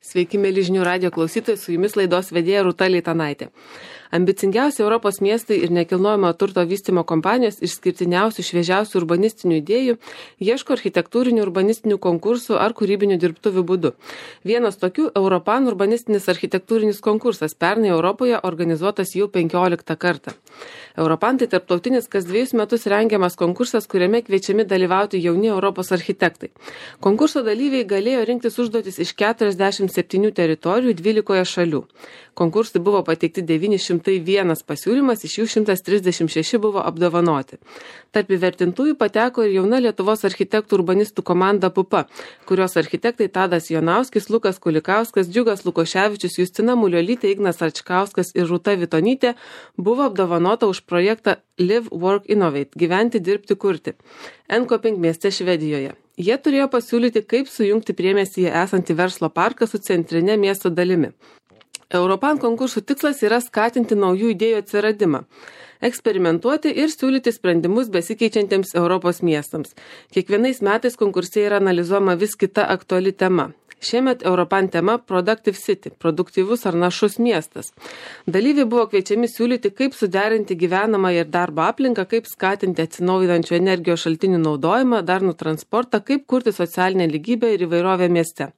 Sveiki, mėly žinių radijo klausytojai, su jumis laidos vedėja Rūta Leitanaitė. Ambicingiausi Europos miestai ir nekilnojamo turto vystymo kompanijos išskirtiniausių šviežiausių urbanistinių idėjų ieško architektūrinių urbanistinių konkursų ar kūrybinių dirbtuvių būdu. Vienas tokių Europan urbanistinis architektūrinis konkursas pernai Europoje organizuotas jau 15 kartą. Europan tai tarptautinis kas 2 metus rengiamas konkursas, kuriame kviečiami dalyvauti jauni Europos architektai. Konkurso dalyviai galėjo rinktis užduotis iš 47 teritorijų 12 šalių. Konkursui buvo pateikti 901 pasiūlymas, iš jų 136 buvo apdovanoti. Tarp įvertintųjų pateko ir jauna Lietuvos architektų urbanistų komanda Pupa, kurios architektai Tadas Jonauskis, Lukas Kulikauskas, Džiugas Lukoševičius, Justina Muliolytė, Ignas Arčkauskas ir Rūta Vitonytė buvo apdovanota už projektą Live, Work, Innovate – gyventi, dirbti, kurti Enkoping mieste Švedijoje. Jie turėjo pasiūlyti, kaip sujungti priemiestyje esantį verslo parką su centrinė miesto dalimi. Europan konkursų tikslas yra skatinti naujų idėjų atsiradimą, eksperimentuoti ir siūlyti sprendimus besikeičiantiems Europos miestams. Kiekvienais metais konkurse yra analizuojama vis kita aktuali tema. Šiemet Europan tema Productive City – produktyvus ar našus miestas. Dalyviai buvo kviečiami siūlyti, kaip suderinti gyvenamą ir darbo aplinką, kaip skatinti atsinaujinančių energijos šaltinių naudojimą, darnų transportą, kaip kurti socialinę lygybę ir įvairovę mieste.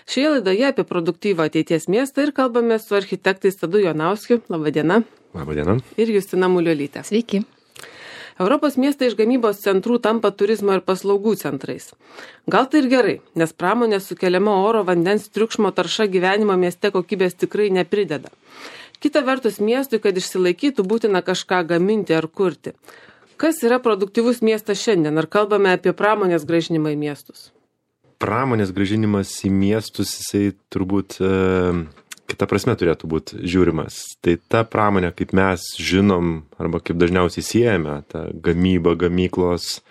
Šioje laidoje apie produktyvų ateities miestą ir kalbame su architektais Tadu Jonauskiu. Labadiena. Labadiena. Ir Justina Muliolytė. Sveiki. Europos miestai iš gamybos centrų tampa turizmo ir paslaugų centrais. Gal tai ir gerai, nes pramonės sukeliama oro, vandens, triukšmo tarša gyvenimo mieste kokybės tikrai neprideda. Kita vertus, miestui, kad išsilaikytų, būtina kažką gaminti ar kurti. Kas yra produktyvus miestas šiandien? Ar kalbame apie pramonės grąžinimą į miestus? Pramonės grąžinimas į miestus, jisai turbūt kita prasme turėtų būti žiūrimas. Tai ta pramonė, kaip mes žinom, arba kaip dažniausiai siejame, ta gamyba, gamyklos,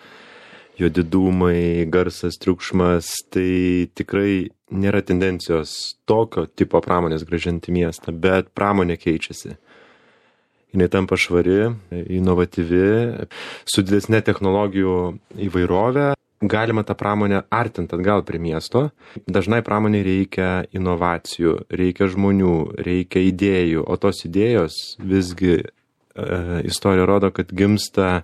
juodi dūmai, garsas, triukšmas, tai tikrai nėra tendencijos tokio tipo pramonės grąžinti miestą, bet pramonė keičiasi. Jinai tampa švari, inovatyvi, su didesne technologijų įvairovė. Galima tą pramonę artinti atgal prie miesto. Dažnai pramoniai reikia inovacijų, reikia žmonių, reikia idėjų, o tos idėjos visgi istorija rodo, kad gimsta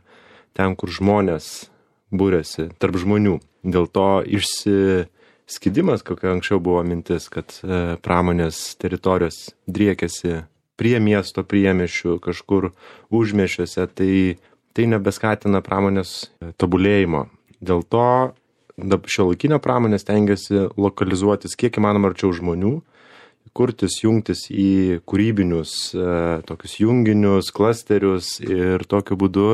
ten, kur žmonės būrėsi, tarp žmonių. Dėl to išsiskidimas, kokia anksčiau buvo mintis, kad pramonės teritorijos driekėsi prie miesto priemiesčių, kažkur užmiesčiuose, tai nebeskatina pramonės tobulėjimo. Dėl to šiuolaikinė pramonė stengiasi lokalizuotis kiek įmanoma arčiau žmonių, kurtis, jungtis į kūrybinius tokius junginius, klasterius ir tokiu būdu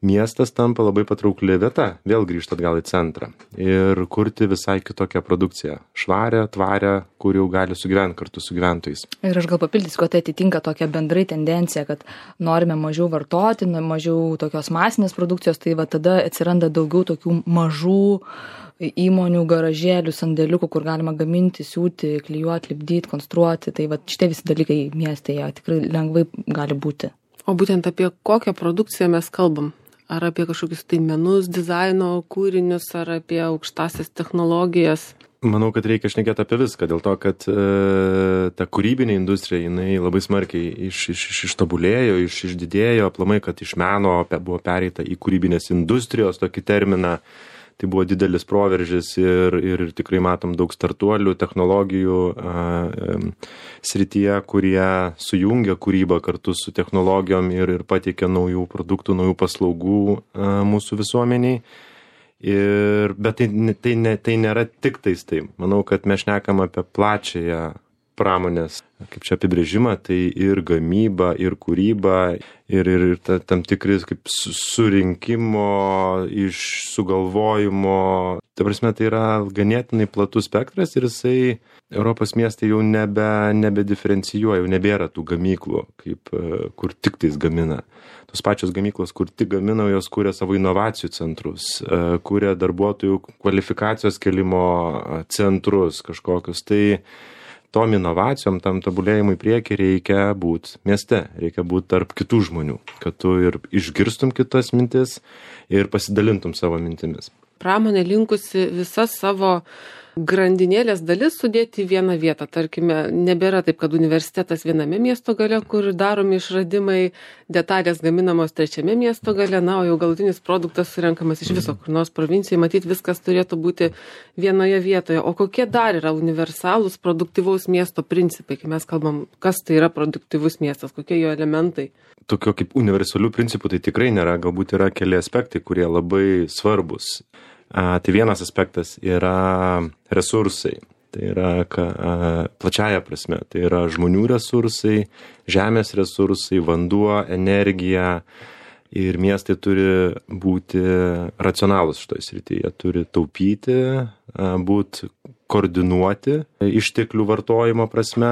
miestas tampa labai patraukli vieta, vėl grįžta atgal į centrą ir kurti visai kitokią produkciją, švarę, tvarę, kur jau gali sugyventi kartu su gyventojais. Ir aš gal papildysiu, kad tai atitinka tokią bendrai tendenciją, kad norime mažiau vartoti, mažiau tokios masinės produkcijos, tai va tada atsiranda daugiau tokių mažų įmonių, garažėlių, sandėliukų, kur galima gaminti, siūti, klijuoti, lipdyti, konstruoti. Tai va šitie visi dalykai mieste jie tikrai lengvai gali būti. O būtent apie kokią produkciją mes kalbam? Ar apie kažkokius tai menus, dizaino kūrinius, ar apie aukštasias technologijas? Manau, kad reikia šnekėti apie viską, dėl to, kad ta kūrybinė industrija, jinai labai smarkiai ištobulėjo, išdidėjo, aplamai, kad iš meno buvo pereita į kūrybinės industrijos tokį terminą. Tai buvo didelis proveržis ir tikrai matom daug startuolių, technologijų srityje, kurie sujungia kūrybą kartu su technologijom ir pateikia naujų produktų, naujų paslaugų mūsų visuomeniai. Bet tai nėra tik tais tai. Manau, kad mes šnekam apie plačiąją pramonės, kaip čia apibrėžimą, tai ir gamyba, ir kūryba, ir tam tikris kaip surinkimo, iš sugalvojimo. Ta prasme, tai yra ganėtinai platus spektras ir jisai Europos miestai jau nebediferencijuoja, jau nebėra tų gamyklų, kur tik tais gamina. Tos pačios gamyklos, kur tik gamina, jos kūrė savo inovacijų centrus, kūrė darbuotojų kvalifikacijos kelimo centrus kažkokius. Tai tom inovacijom, tam tobulėjimui priekį reikia būti mieste, reikia būti tarp kitų žmonių, kad tu ir išgirstum kitas mintis ir pasidalintum savo mintimis. Pramonė linkusi visas savo grandinėlės dalis sudėti į vieną vietą. Tarkime, nebėra taip, kad universitetas viename miesto gale, kur daromi išradimai, detalės gaminamos trečiame miesto gale, na, o jau galutinis produktas surenkamas iš viso, kur nors provincijai, matyt, viskas turėtų būti vienoje vietoje. O kokie dar yra universalūs produktyvaus miesto principai, kai mes kalbam, kas tai yra produktyvus miestas, kokie jo elementai? Tokio kaip universalių principų tai tikrai nėra, galbūt yra keli aspektai, kurie labai svarbus. Tai vienas aspektas yra resursai, tai yra plačiaja prasme, tai yra žmonių resursai, žemės resursai, vanduo, energija ir miestai turi būti racionalūs šitoj srityje, jie turi taupyti, būti koordinuoti išteklių vartojimo prasme,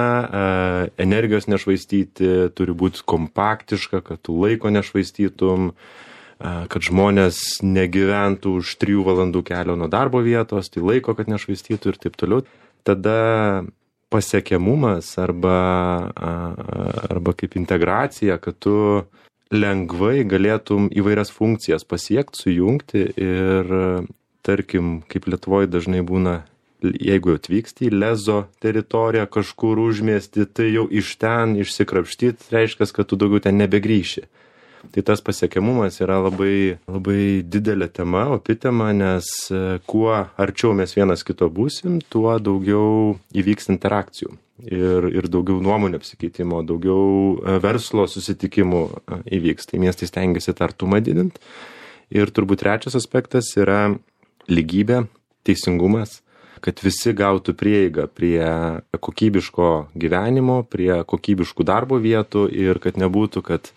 energijos nešvaistyti, turi būti kompaktiška, kad tu laiko nešvaistytum, kad žmonės negyventų už 3 valandų kelio nuo darbo vietos, tai laiko, kad nešvaistytų ir taip toliau. Tada pasiekiamumas arba kaip integracija, kad tu lengvai galėtum įvairias funkcijas pasiekti, sujungti ir, tarkim, kaip Lietuvoje dažnai būna, jeigu atvyksti į Lezo teritoriją kažkur užmiesti, tai jau iš ten išsikrapštyti, reiškia, kad tu daugiau ten nebegrįši. Tai tas pasiekiamumas yra labai, labai didelė tema, opi tema, nes kuo arčiau mes vienas kito būsim, tuo daugiau įvyks interakcijų ir daugiau nuomonių apsikeitimo, daugiau verslo susitikimų įvyks. Tai miestai stengiasi tą artumą didinti. Ir turbūt trečias aspektas yra lygybė, teisingumas, kad visi gautų prieigą prie kokybiško gyvenimo, prie kokybiškų darbo vietų ir kad nebūtų, kad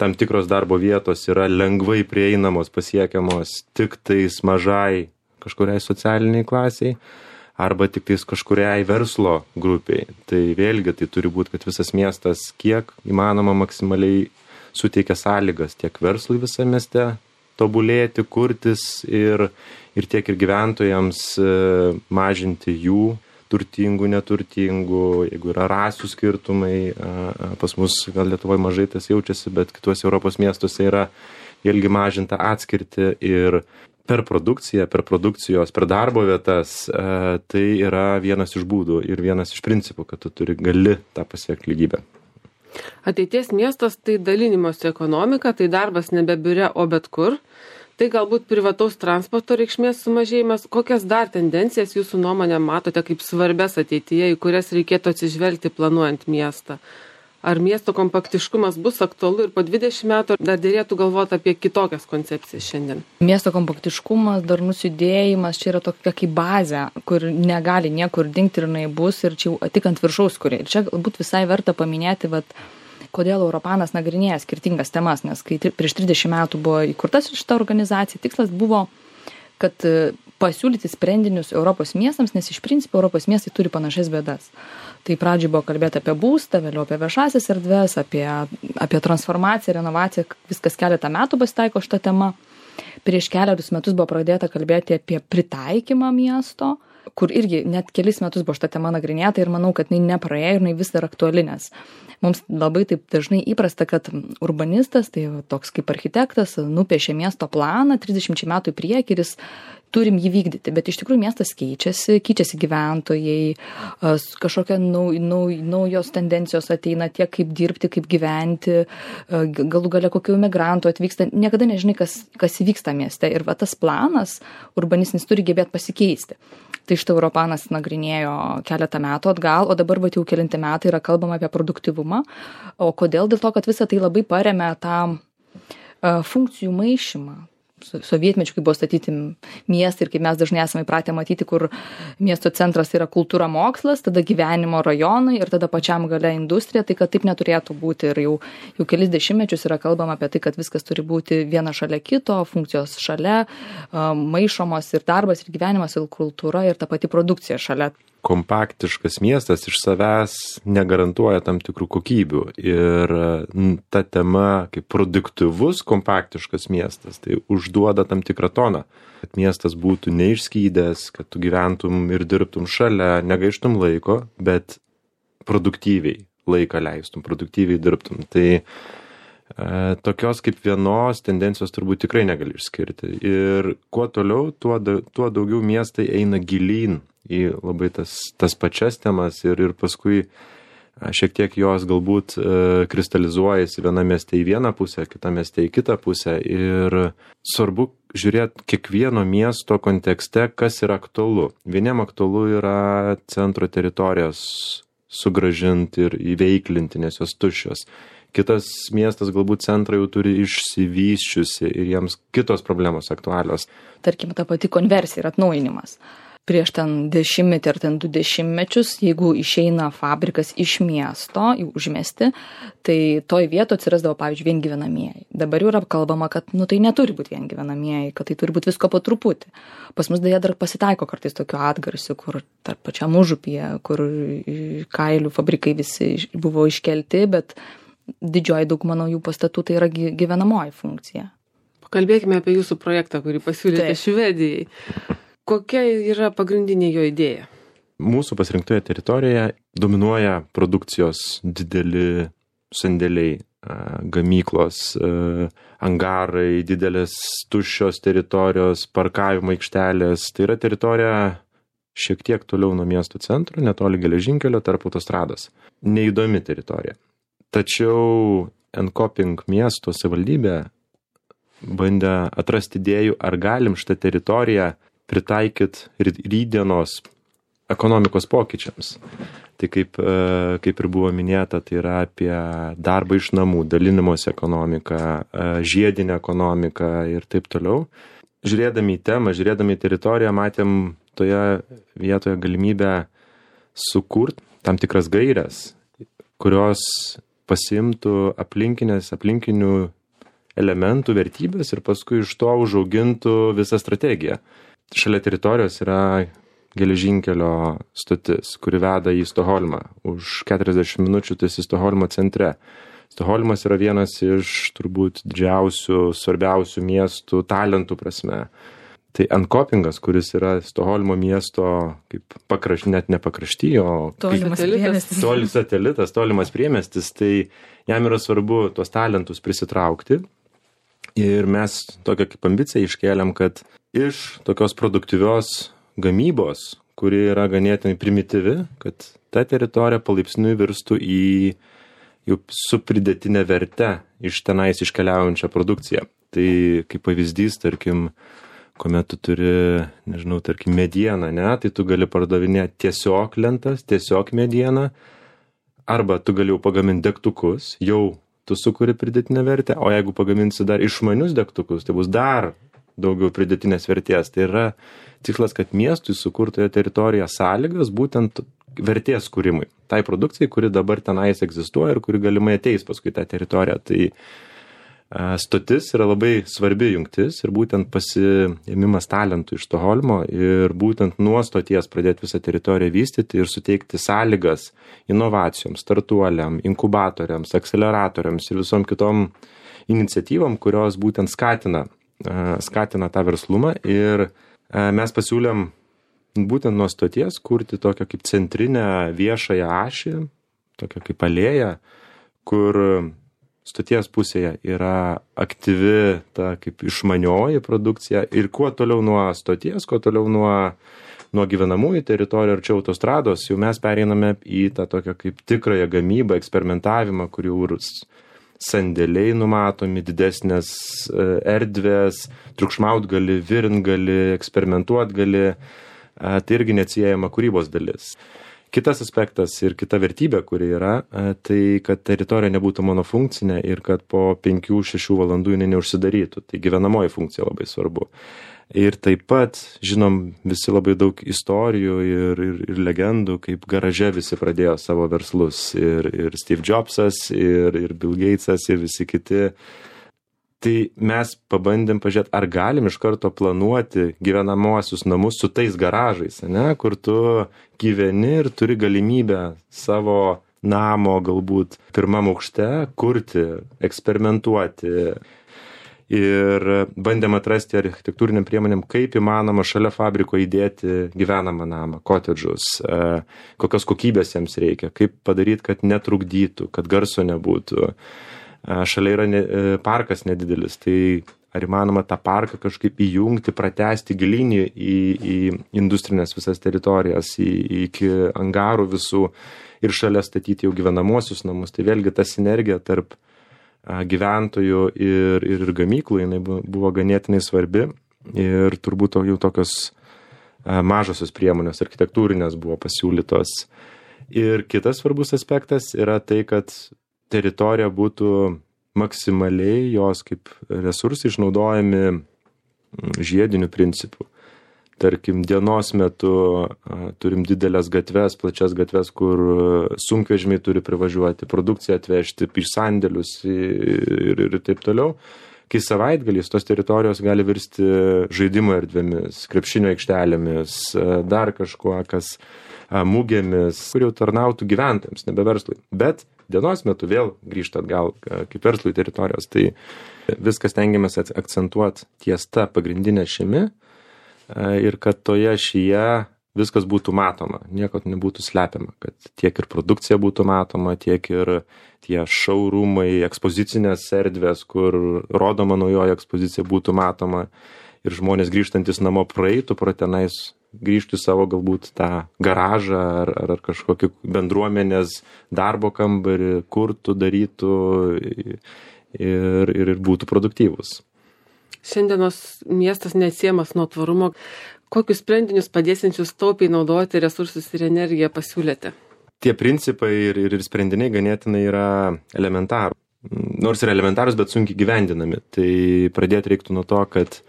tam tikros darbo vietos yra lengvai prieinamos, pasiekiamos tik tais mažai kažkuriai socialiniai klasiai arba tik tais kažkuriai verslo grupiai. Tai vėlgi tai turi būti, kad visas miestas kiek įmanoma maksimaliai suteikia sąlygas tiek verslui visame mieste tobulėti, kurtis ir tiek ir gyventojams mažinti jų turtingų, neturtingų, jeigu yra rasių skirtumai, pas mus gal Lietuvoje mažai tas jaučiasi, bet kituose Europos miestuose yra vėlgi mažinta atskirti ir per produkciją, per produkcijos, per darbo vietas, tai yra vienas iš būdų ir vienas iš principų, kad tu gali tą pasiekti lygybę. Ateities miestas tai dalinimosi ekonomika, tai darbas nebe biure, o bet kur. Tai galbūt privataus transporto reikšmės sumažėjimas. Kokias dar tendencijas jūsų nuomonė matote kaip svarbias ateityje, į kurias reikėtų atsižvelgti planuojant miestą? Ar miesto kompaktiškumas bus aktualu ir po 20 metų, dar dėrėtų galvoti apie kitokias koncepcijas šiandien? Miesto kompaktiškumas, darnus judėjimas, čia yra tokia kaip bazė, kur negali niekur dingti ir jinai bus ir čia jau tik ant viršaus kuria. Ir čia galbūt visai verta paminėti, kodėl Europanas nagrinėja skirtingas temas, nes kai prieš 30 metų buvo įkurta šita organizacija, tikslas buvo, kad pasiūlyti sprendinius Europos miestams, nes iš principo Europos miestai turi panašias bėdas. Tai pradžiai buvo kalbėti apie būstą, vėliau apie viešasias erdves, apie transformaciją, renovaciją, viskas keletą metų pasitaiko šitą temą. Prieš keliarius metus buvo pradėta kalbėti apie pritaikymą miesto, kur irgi net kelis metus buvo šitą temą nagrinėta ir manau, kad jinai nepraėjo ir jinai vis dar aktuali, nes mums labai taip dažnai įprasta, kad urbanistas, tai toks kaip architektas, nupiešė miesto planą 30 metų į priekį ir turim jį vykdyti, bet iš tikrųjų miestas keičiasi gyventojai, kažkokia naujos tendencijos ateina tiek kaip dirbti, kaip gyventi, galų gale kokių imigrantų atvyksta, niekada nežinai, kas įvyksta mieste ir tas planas urbanistinis turi gebėti pasikeisti. Tai šitą Europanas nagrinėjo keletą metų atgal, o dabar jau kelinti metai yra kalbama apie produktyvumą. O kodėl? Dėl to, kad visą tai labai paremia tą funkcijų maišymą. Sovietmečiu, kai buvo statyti miestai ir kaip mes dažnai esame įpratę matyti, kur miesto centras yra kultūra, mokslas, tada gyvenimo rajonai ir tada pačiam gale industrija, tai kad taip neturėtų būti ir jau kelis dešimtmečius yra kalbama apie tai, kad viskas turi būti viena šalia kito, funkcijos šalia, maišomos ir darbas, ir gyvenimas, ir kultūra, ir ta pati produkcija šalia. Kompaktiškas miestas iš savęs negarantuoja tam tikrų kokybių ir ta tema kaip produktyvus kompaktiškas miestas, tai užduoda tam tikrą toną, kad miestas būtų neišskydęs, kad tu gyventum ir dirbtum šalia, negaištum laiko, bet produktyviai laiką leistum, produktyviai dirbtum. Tai tokios kaip vienos tendencijos turbūt tikrai negali išskirti. Ir kuo toliau, tuo daugiau miestai eina gilyn į labai tas pačias temas ir paskui šiek tiek jos galbūt kristalizuojasi viename mieste į vieną pusę, kitame mieste į kitą pusę. Ir svarbu žiūrėti kiekvieno miesto kontekste, kas yra aktualu. Vieniem aktualu yra centro teritorijas sugrąžinti ir įveiklinti, nes jos tuščios. Kitas miestas galbūt centrą jau turi išsivysčiusi ir jiems kitos problemos aktualios. Tarkim, ta pati konversija ir atnaujinimas. Prieš ten 10 ar ten 20 metus, jeigu išeina fabrikas iš miesto į užmiestį, tai toj vieto atsirasdavo, pavyzdžiui, viengyvenamieji. Dabar jau yra kalbama, kad tai neturi būti viengyvenamieji, kad tai turi būti visko po truputį. Pas mus deja dar pasitaiko kartais tokių atgarsių, kur tarp pačiam užupyje, kur kailių fabrikai visi buvo iškelti, bet didžioji dauguma naujų pastatų tai yra gyvenamoji funkcija. Pakalbėkime apie jūsų projektą, kurį pasiūlėte Švedijai. Kokia yra pagrindinė jo idėja? Mūsų pasirinktoje teritorijoje dominuoja produkcijos dideli sandėliai, gamyklos, angarai, didelės tuščios teritorijos, parkavimo aikštelės. Tai yra teritorija šiek tiek toliau nuo miesto centro, netoli geležinkelio, tarp autostrados. Neįdomi teritorija. Tačiau Enkoping miesto savivaldybė bandė atrasti idėjų, ar galim šitą teritoriją pritaikyti rytdienos ekonomikos pokyčiams. Tai kaip ir buvo minėta, tai yra apie darbą iš namų, dalinimosi ekonomiką, žiedinę ekonomiką ir taip toliau. Žiūrėdami į temą, žiūrėdami į teritoriją, matėm toje vietoje galimybę sukurti tam tikras gairias, kurios pasiimtų aplinkinių elementų, vertybės ir paskui iš to užaugintų visą strategiją. Šalia teritorijos yra geležinkelio stotis, kuri veda į Stokholmą. Už 40 minučių tai esi Stokholmo centre. Stokholmas yra vienas iš turbūt didžiausių, svarbiausių miestų talentų prasme. Tai Enkopingas, kuris yra Stokholmo miesto kaip net ne pakrašty, o satelitas, tolimas priemiestis, tai jam yra svarbu tuos talentus prisitraukti. Ir mes tokią kaip ambiciją iškėlėm, kad iš tokios produktyvios gamybos, kuri yra ganėtinai primityvi, kad ta teritorija palaipsniui virstų į jau su pridėtinė verte iš tenais iškeliaujančią produkciją. Tai kaip pavyzdys, tarkim, kuomet tu turi, tarkim, medieną, tai tu gali pardavinėti tiesiog lentas, tiesiog medieną, arba tu gali jau pagaminti degtukus, jau tu sukuri pridėtinę vertę, o jeigu pagaminsi dar išmanius degtukus, tai bus dar daugiau pridėtinės vertės. Tai yra tikslas, kad miestui sukurtoje teritorijoje sąlygas būtent vertės kūrimui. Tai produkcijai, kuri dabar tenais egzistuoja ir kuri galimai ateis paskui tą teritoriją. Tai stotis yra labai svarbi jungtis ir būtent pasiėmimas talentų iš Stokholmo ir būtent nuo stoties pradėti visą teritoriją vystyti ir suteikti sąlygas inovacijoms, startuoliam, inkubatoriams, akceleratoriams ir visom kitom iniciatyvom, kurios būtent skatina tą verslumą. Ir mes pasiūlėm būtent nuo stoties kurti tokią kaip centrinę viešąją ašį, tokią kaip alėją, kur stoties pusėje yra aktyvi ta kaip išmanioji produkcija ir kuo toliau nuo stoties, kuo toliau nuo gyvenamųjų teritorijų arčiau autostrados, jau mes pereiname į tą tokią kaip tikrąją gamybą, eksperimentavimą, kur sandėliai numatomi, didesnės erdvės, triukšmaut gali, virint gali, eksperimentuot gali, tai irgi neatsiejama kūrybos dalis. Kitas aspektas ir kita vertybė, kuri yra, tai kad teritorija nebūtų monofunkcinė ir kad po 5-6 valandų jinai neužsidarytų. Tai gyvenamoji funkcija labai svarbu. Ir taip pat, žinom, visi labai daug istorijų ir legendų, kaip garaže visi pradėjo savo verslus. Ir Steve Jobsas, ir Bill Gatesas, ir visi kiti. Tai mes pabandėm pažiūrėti, ar galim iš karto planuoti gyvenamuosius namus su tais garažais, kur tu gyveni ir turi galimybę savo namo galbūt pirmam aukšte kurti, eksperimentuoti. Ir bandėm atrasti architektūriniam priemonėm, kaip įmanoma šalia fabriko įdėti gyvenamą namą, kotedžus, kokios kokybės jiems reikia, kaip padaryti, kad netrukdytų, kad garso nebūtų. Šalia yra parkas nedidelis, tai ar įmanoma tą parką kažkaip įjungti, pratęsti gilinį į industrinės visas teritorijas, iki angarų visų ir šalia statyti jau gyvenamuosius namus. Tai vėlgi ta sinergija tarp gyventojų ir gamyklų, jinai buvo ganėtinai svarbi ir turbūt jau tokios mažosios priemonės architektūrinės buvo pasiūlytos. Ir kitas svarbus aspektas yra tai, kad teritorija būtų maksimaliai jos kaip resursai išnaudojami žiediniu principu. Tarkim, dienos metu turim didelės gatves, plačias gatves, kur sunkvežimiai turi privažiuoti, produkciją atvežti, iš sandėlius ir taip toliau. Kai savaitgaliais tos teritorijos gali virsti žaidimo erdvėmis, krepšinio aikštelėmis, dar kažkuo, kas mūgėmis, kur jau tarnautų gyventojams, nebe verslui. Bet dienos metu vėl grįžta atgal kaip verslui teritorijos. Tai viskas tengiamės akcentuoti ties ta pagrindinė ašimi ir kad toje ašyje viskas būtų matoma, nieko nebūtų slepiama, kad tiek ir produkcija būtų matoma, tiek ir tie šaurumai, ekspozicinės erdvės, kur rodoma naujoji ekspozicija būtų matoma ir žmonės grįžtantis namo praeitų pro tenais, grįžtų į savo galbūt tą garažą ar kažkokį bendruomenės darbo kambarį, kurtų, darytų ir būtų produktyvus. Šiandienos miestas neatsiejamas nuo tvarumo. Kokius sprendinius padėsiančius taupiai naudoti resursus ir energiją pasiūlėte? Tie principai ir sprendiniai ganėtinai yra elementarų. Nors yra elementarus, bet sunkiai gyvendinami. Tai pradėti reiktų nuo to, kad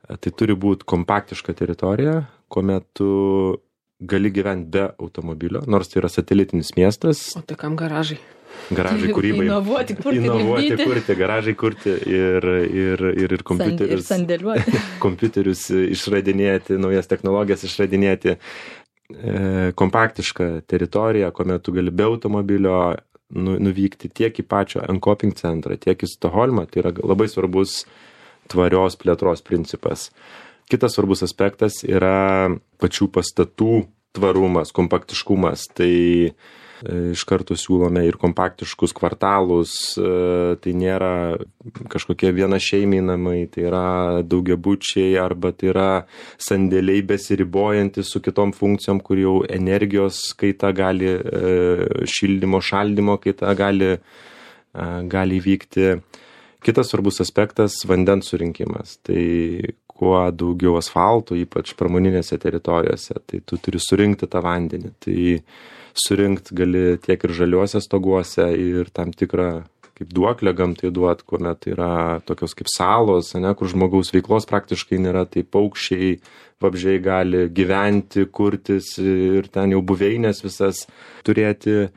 tai turi būti kompaktiška teritorija, kuomet tu gali gyventi be automobilio, nors tai yra satelitinis miestas. O tai kam garažai? Garažai kūrybai. Inovuoti, kurti, garažai kurti ir kompiuterius. Ir sandėliuoti. Kompiuterius išradinėti, naujas technologijas išradinėti. Kompaktiška teritorija, kuomet tu gali be automobilio nuvykti tiek į pačią Enkoping centrą, tiek į Stokholmą. Tai yra labai svarbus tvarios plėtros principas. Kitas svarbus aspektas yra pačių pastatų tvarumas, kompaktiškumas. Tai iš karto siūlome ir kompaktiškus kvartalus, tai nėra kažkokie vienašeimiai namai, tai yra daugiabučiai arba tai yra sandėliai besiribojantis su kitom funkcijom, kur jau energijos kaita gali, šildymo, šaldymo kaita gali vykti. Kitas svarbus aspektas – vandens surinkimas. Tai kuo daugiau asfalto, ypač pramoninėse teritorijose, tai tu turi surinkti tą vandenį. Tai surinkti gali tiek ir žaliuose stoguose ir tam tikrą kaip duoklę gamtai duot, kuomet yra tokios kaip salos, kur žmogaus veiklos praktiškai nėra, tai paukščiai, vabzdžiai gali gyventi, kurtis ir ten jau buveinės visas turėti.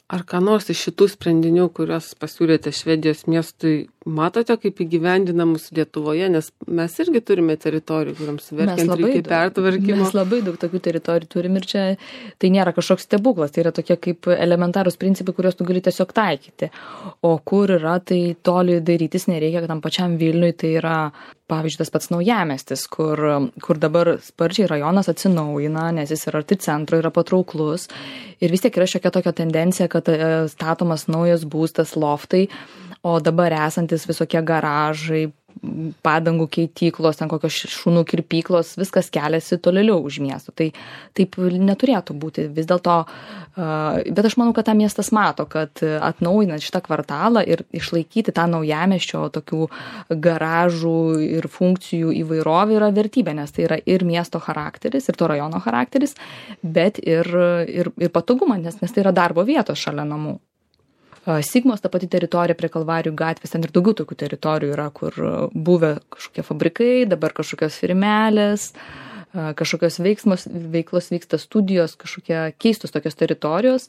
Ar ką nors iš šitų sprendinių, kuriuos pasiūlėte Švedijos miestui, matote kaip įgyvendinamus Lietuvoje, nes mes irgi turime teritorijų, kuriams verkiant reikia pertvarkymo. Mes labai daug tokių teritorijų turim ir čia tai nėra kažkoks stebuklas, tai yra tokie kaip elementarūs principai, kuriuos tu gali tiesiog taikyti. O kur yra, tai toli darytis nereikia, kad tam pačiam Vilniui tai yra, pavyzdžiui, tas pats Naujamiestis, kur dabar sparčiai rajonas atsinaujina, nes jis yra arti centro, yra patrauklus ir vis tiek yra šiokia tokia tendencija, kad statomas naujas būstas, loftai, o dabar esantis visokie garažai, padangų keityklos, ten kokios šunų kirpyklos, viskas keliasi tolėliau už miestų. Tai taip neturėtų būti vis dėlto, bet aš manau, kad tą miestas mato, kad atnaujinant šitą kvartalą ir išlaikyti tą naujamiesčio tokių garažų ir funkcijų įvairovė yra vertybė, nes tai yra ir miesto charakteris, ir to rajono charakteris, bet ir patogumas, nes tai yra darbo vietos šalia namų. Sigmos, ta pati teritorija prie Kalvarijų gatvės, ten ir daugiau tokių teritorijų yra, kur buvę kažkokie fabrikai, dabar kažkokios firmelės, kažkokios veiklos vyksta studijos, kažkokie keistos tokios teritorijos,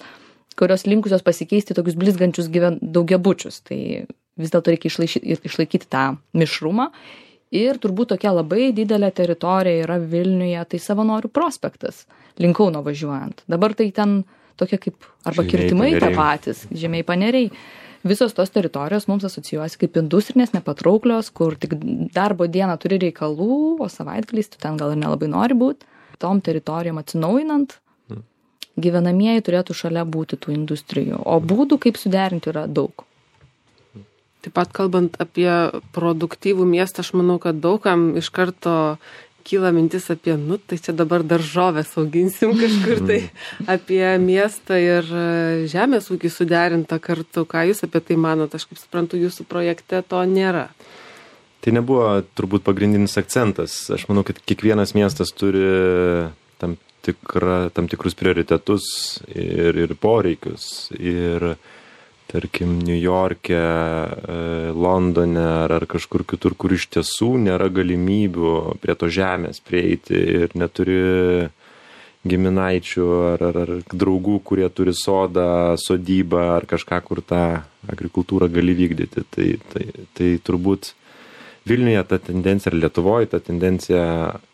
kurios linkusios pasikeisti tokius blizgančius daugiabučius. Tai vis dėlto reikia išlaikyti tą mišrumą. Ir turbūt tokia labai didelė teritorija yra Vilniuje, tai Savanorių prospektas, link Kauno važiuojant. Dabar tai ten tokie kaip arba kirtimai tie patys, Žemiai Paneriai. Visos tos teritorijos mums asocijuojasi kaip industrinės, nepatrauklios, kur tik darbo dieną turi reikalų, o savaitgaliais tu ten gal ir nelabai nori būti. Tom teritorijom atsinaujinant, gyvenamieji turėtų šalia būti tų industrijų. O būdų, kaip suderinti, yra daug. Taip pat kalbant apie produktyvų miestą, aš manau, kad daugam iš karto kyla mintis apie, tai čia dabar daržovės auginsim kažkur tai, apie miestą ir žemės ūkį suderintą kartu. Ką jūs apie tai manot? Aš kaip suprantu, jūsų projekte to nėra. Tai nebuvo turbūt pagrindinis akcentas. Aš manau, kad kiekvienas miestas turi tam tikrus prioritetus ir poreikius. Ir tarkim, New York'e, Londone ar kažkur kitur, kur iš tiesų nėra galimybių prie to žemės prieiti ir neturi giminaičių ar draugų, kurie turi sodą, sodybą ar kažką, kur tą agrikultūrą gali vykdyti. Tai turbūt Vilniuje ta tendencija ir Lietuvoje ta tendencija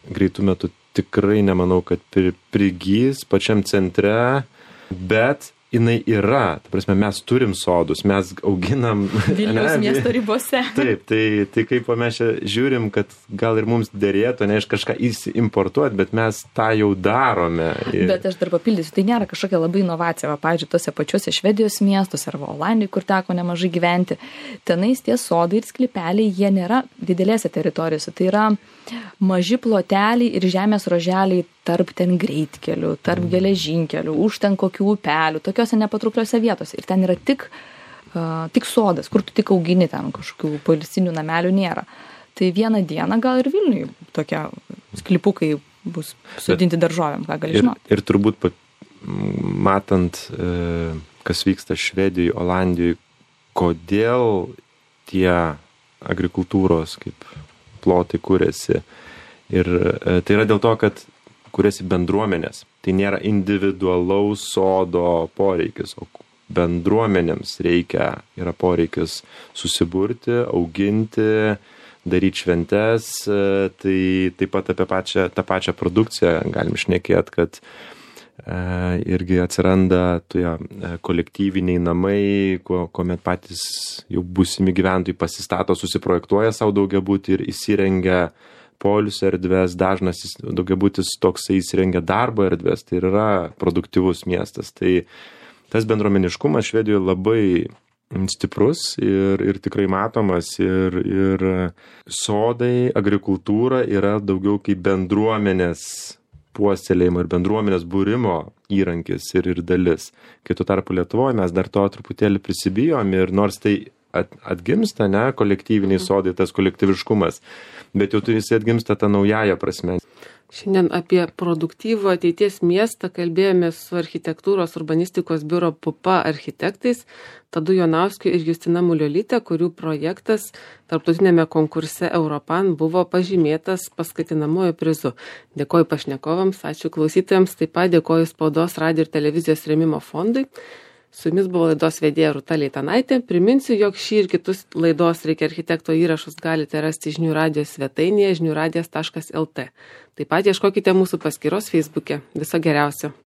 greitų metų tikrai nemanau, kad prigys pačiam centre, bet jinai yra, ta prasme, mes turim sodus, mes auginam Vilniaus miesto ribose. Taip, tai kaip mes čia žiūrim, kad gal ir mums derėtų, ne iš kažką importuoti, bet mes tą jau darome. Bet aš dar papildysiu, tai nėra kažkokia labai inovacija, pavyzdžiui, tose pačiuose Švedijos miestuose arba Olandijai, kur teko nemažai gyventi, tenais tie sodai ir sklypeliai, jie nėra didelėse teritorijose, tai yra maži ploteliai ir žemės roželiai tarp ten greitkelių, tarp geležinkelių, už ten kokių upelių, tokiose nepatraukliose vietose. Ir ten yra tik sodas, kur tu tik augini, ten kažkokių poilsinių namelių nėra. Tai vieną dieną gal ir Vilniui tokie sklypukai bus sodinti daržovėm, ką gali žinoti. Ir turbūt matant, kas vyksta Švedijoje, Olandijoje, kodėl tie agrikultūros kaip plotai kūrėsi. Ir tai yra dėl to, kad kuriasi bendruomenės. Tai nėra individualaus sodo poreikis, o bendruomenėms yra poreikis susiburti, auginti, daryti šventes. Tai taip pat apie tą pačią produkciją galim šnekėti, kad irgi atsiranda kolektyviniai namai, kuomet patys jau būsimi gyventojai pasistato, susiprojektuoja savo daugiabutį ir įsirengia poilsio erdvės, dažnas daugiabutis toksai įsirengia darbo erdvės, tai yra produktyvus miestas. Tai tas bendruomeniškumas Švedijoje labai stiprus ir tikrai matomas ir sodai, agrikultūra yra daugiau kaip bendruomenės puoselėjimo ir bendruomenės būrimo įrankis ir dalis. Kai tuo tarpu Lietuvoje mes dar to truputėlį prisibijom ir nors tai atgimsta, kolektyviniai sodai, tas kolektyviškumas, bet jau jis atgimsta tą naująją prasme. Šiandien apie produktyvų ateities miestą kalbėjome su architektūros urbanistikos biuro PUPA architektais Tadu Jonauskiu ir Justina Muliolyte, kurių projektas tarptautinėme konkurse Europan buvo pažymėtas paskatinamuoju prizu. Dėkoju pašnekovams, ačiū klausytojams, taip pat dėkoju Spaudos, radijo ir televizijos rėmimo fondui. Su jumis buvo laidos vedėja Rūta Leitanaitė. Priminsiu, jog šį ir kitus laidos Reikia architekto įrašus galite rasti žinių radijos svetainėje žiniųradijas.lt. Taip pat ieškokite mūsų paskyros Facebook'e. Viso geriausio.